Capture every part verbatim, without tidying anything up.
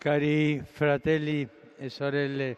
Cari fratelli e sorelle,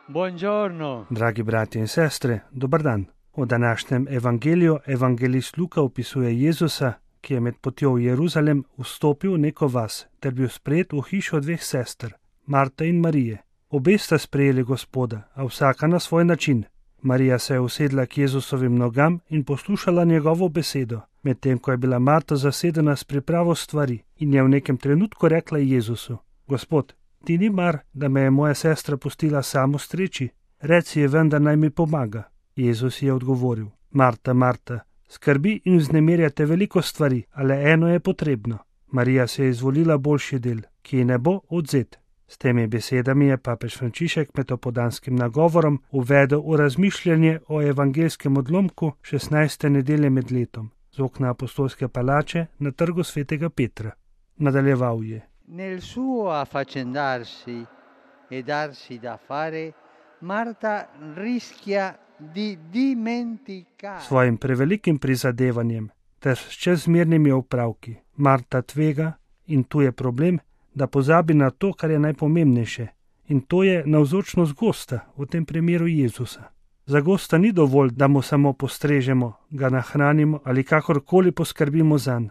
buongiorno. Dragi bratje in sestre, dober dan. V današnjem evangeliju evangelist Luka opisuje Jezusa, ki je med potjo v Jeruzalem vstopil v neko vas ter bil sprejet v hišo dveh sester, Marte in Marije. Obe sta sprejeli Gospoda, a vsaka na svoj način. Marija se je usedla k Jezusovim nogam in poslušala njegovo besedo, medtem ko je bila Marta zasedena s pripravo stvari in je v nekem trenutku rekla Jezusu: Gospod, ti ni mar, da me je moja sestra pustila samo streči? Reci je vendar, naj mi pomaga. Jezus je odgovoril: Marta, Marta, skrbi in vznemirjate veliko stvari, a le eno je potrebno. Marija se je izvolila boljši del, ki ji ne bo odvzet. S temi besedami je papež Frančišek med opodanskim nagovorom uvedel v razmišljanje o evangelskem odlomku šestnajste nedelje med letom z okna apostolske palače na trgu svetega Petra. Nadaljeval je: Nel suo affaccendarsi e darsi da fare, Marta rischia di dimenticare. Svojim prevelikim prizadevanjem ter s čezmernimi opravki Marta tvega, in tu je problem, da pozabi na to, kar je najpomembnejše, in to je navzočnost gosta, v tem primeru Jezusa. Za gosta ni dovolj, da mu samo postrežemo, ga nahranimo ali kakorkoli poskrbimo zanj.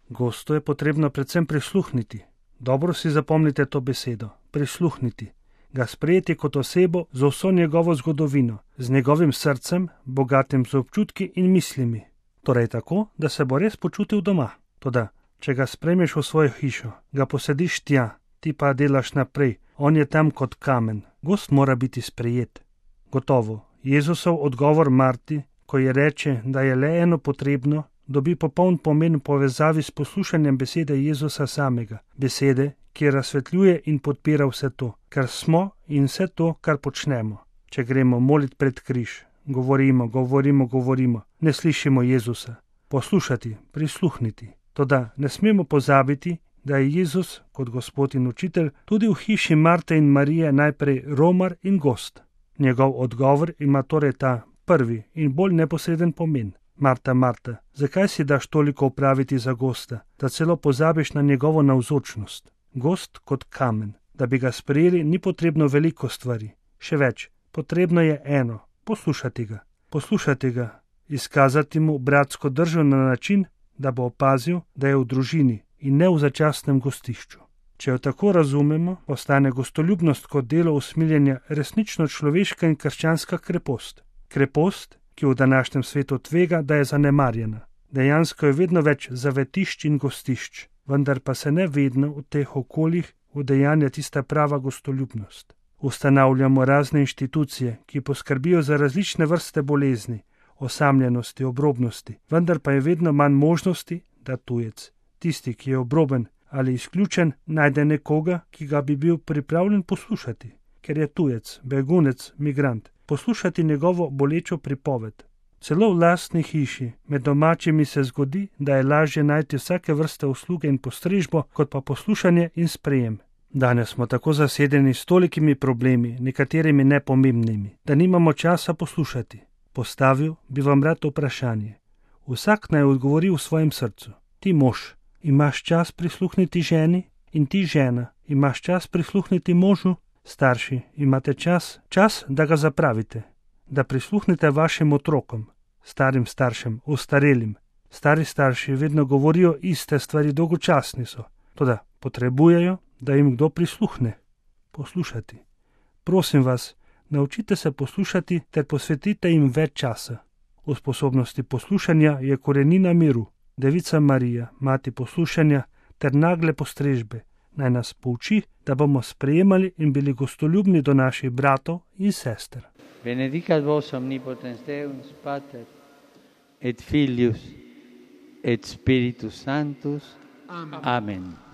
Gostu je potrebno predvsem prisluhniti. Dobro si zapomnite to besedo, prisluhniti. Ga sprejeti kot osebo z vso njegovo zgodovino, z njegovim srcem, bogatim z občutki in mislimi. Torej tako, da se bo res počutil doma. Toda, če ga sprejmeš v svojo hišo, ga posediš tja, ti pa delaš naprej, on je tam kot kamen. Gost mora biti sprejet. Gotovo, Jezusov odgovor Marti, ko ji reče, da je le eno potrebno, dobi popoln pomen v povezavi s poslušanjem besede Jezusa samega, besede, ki razsvetljuje in podpira vse to, kar smo in vse to, kar počnemo. Če gremo molit pred križ, govorimo, govorimo, govorimo, ne slišimo Jezusa. Poslušati, prisluhniti. Toda ne smemo pozabiti, da je Jezus kot Gospod in učitelj tudi v hiši Marte in Marije najprej romar in gost. Njegov odgovor ima torej ta prvi in bolj neposreden pomen. Marta, Marta, zakaj si daš toliko opraviti za gosta, da celo pozabiš na njegovo navzočnost? Gost kot kamen. Da bi ga sprejeli, ni potrebno veliko stvari. Še več, potrebno je eno, poslušati ga. Poslušati ga, izkazati mu bratsko držo na način, da bo opazil, da je v družini in ne v začasnem gostišču. Če jo tako razumemo, ostane gostoljubnost kot delo usmiljenja resnično človeška in krščanska krepost. Krepost, ki v današnjem svetu tvega, da je zanemarjena. Dejansko je vedno več zavetišč in gostišč, vendar pa se ne vedno v teh okoljih udejanja tista prava gostoljubnost. Ustanavljamo razne inštitucije, ki poskrbijo za različne vrste bolezni, osamljenosti, obrobnosti, vendar pa je vedno manj možnosti, da tujec, tisti, ki je obroben ali izključen, najde nekoga, ki ga bi bil pripravljen poslušati, ker je tujec, begunec, migrant, poslušati njegovo bolečo pripoved. Celo v lastni hiši, med domačimi se zgodi, da je lažje najti vsake vrste usluge in postrežbo, kot pa poslušanje in sprejem. Danes smo tako zasedeni s tolikimi problemi, nekaterimi nepomembnimi, da nimamo časa poslušati. Postavil bi vam rad vprašanje. Vsak naj odgovori v svojem srcu. Ti mož, imaš čas prisluhniti ženi? In ti žena, imaš čas prisluhniti možu? Starši, imate čas? Čas, da ga zapravite. Da prisluhnete vašim otrokom, starim staršem, ostarelim. Stari starši vedno govorijo iste stvari, dolgočasni so. Toda potrebujejo, da jim kdo prisluhne. Poslušati. Prosim vas, naučite se poslušati ter posvetite jim več časa. V sposobnosti poslušanja je korenina miru. Devica Marija, mati poslušanja ter nagle postrežbe, naj nas pouči, da bomo sprejemali in bili gostoljubni do naših bratov in sester. Benedicat vos omnipotens Deus, Pater, et Filius, et Spiritus Sanctus. Amen. Amen.